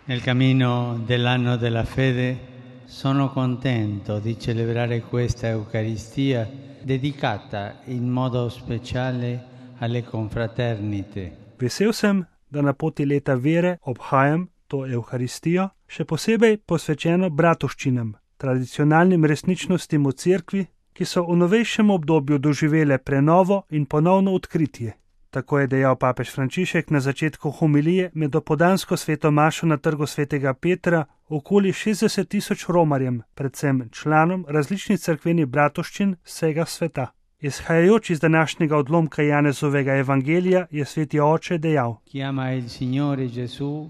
Nel cammino dell'anno della fede sono contento di celebrare questa Eucaristia dedicata in modo speciale alle confraternite. Vesel sem, da na poti leta vere obhajam to Euharistijo, še posebej posvečeno bratovščinam, tradicionalnim resničnostim v cerkvi, ki so v novejšem obdobju doživele prenovo in ponovno odkritje. Tako je dejal papež Frančišek na začetku homilije med dopoldansko sveto mašo na trgu svetega Petra okoli 60.000 romarjem, predvsem članom različnih cerkvenih bratovščin vsega sveta. Izhajajoč iz današnjega odlomka Janezovega evangelija je sveti oče dejal: Chiama il Signore Gesù,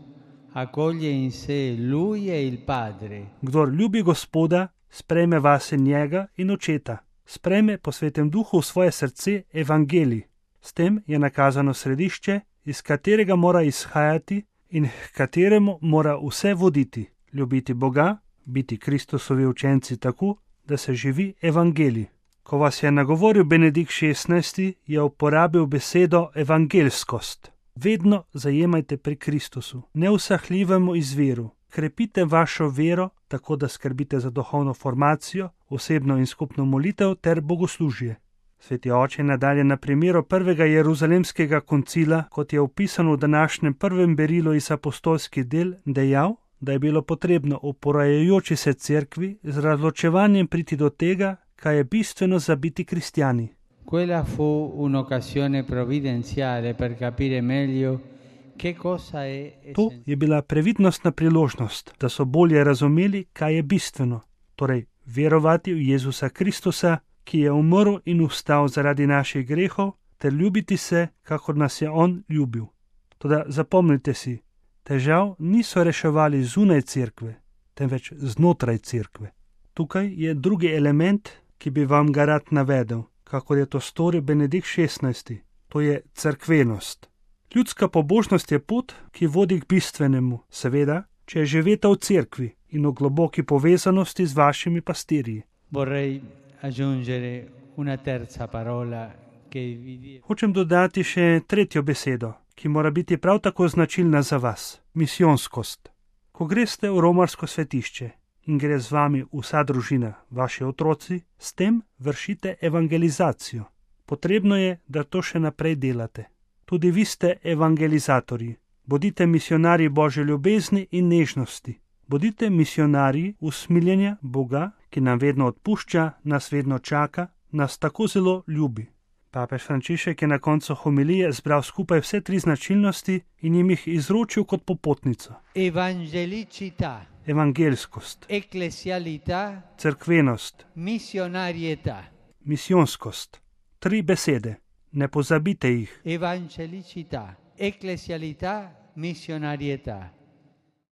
accoglie in sé lui e il Padre. Kdor ljubi Gospoda, sprejme vase njega in očeta, sprejme po svetem duhu v svoje srce evangelij. S tem je nakazano središče, iz katerega mora izhajati in k kateremu mora vse voditi. Ljubiti Boga, biti Kristusovi učenci tako, da se živi evangelij. Ko vas je nagovoril Benedikt XVI, je uporabil besedo evangelskost. Vedno zajemajte pri Kristusu, neusahljivemu izviru. Krepite vašo vero, tako da skrbite za duhovno formacijo, osebno in skupno molitev ter bogoslužje. Sveti oče nadalje na primeru prvega Jeruzalemskega koncila, kot je opisano v današnjem prvem berilu iz apostolskih del, dejal, da je bilo potrebno v porajajoči se cerkvi z razločevanjem priti do tega, kaj je bistveno za biti kristjani. Quella fu un'occasione provvidenziale per capire meglio che cosa è. To je bila previdnostna priložnost, da so bolje razumeli, kaj je bistveno, torej verovati v Jezusa Kristusa, ki je umrl in vstal zaradi naših grehov, ter ljubiti se, kakor nas je on ljubil. Toda zapomnite si, težav niso reševali zunaj cerkve, temveč znotraj cerkve. Tukaj je drugi element, ki bi vam ga rad navedel, kakor je to storil Benedikt XVI. To je cerkvenost. Ljudska pobožnost je pot, ki vodi k bistvenemu, seveda, če je živeta v cerkvi in v globoki povezanosti z vašimi pastirji. Vorrei aggiungere una terza parola che vi. Hočem dodati še tretjo besedo, ki mora biti prav tako značilna za vas, misijonskost. Ko greste v romarsko svetišče in gre z vami vsa družina, vaši otroci, s tem vršite evangelizacijo. Potrebno je, da to še naprej delate. Tudi vi ste evangelizatorji. Bodite misionarji Božje ljubezni in nežnosti. Bodite misionarji usmiljenja Boga, ki nam vedno odpušča, nas vedno čaka, nas tako zelo ljubi. Papež Frančišek je na koncu homilije zbral skupaj vse tri značilnosti in jim jih izročil kot popotnico. Evangelicità, Evangelskost, ecclesialità, cerkvenost, missionarietà. misijonskost. Tri besede. Ne pozabite jih. Evangelicità, ecclesialità, missionarietà.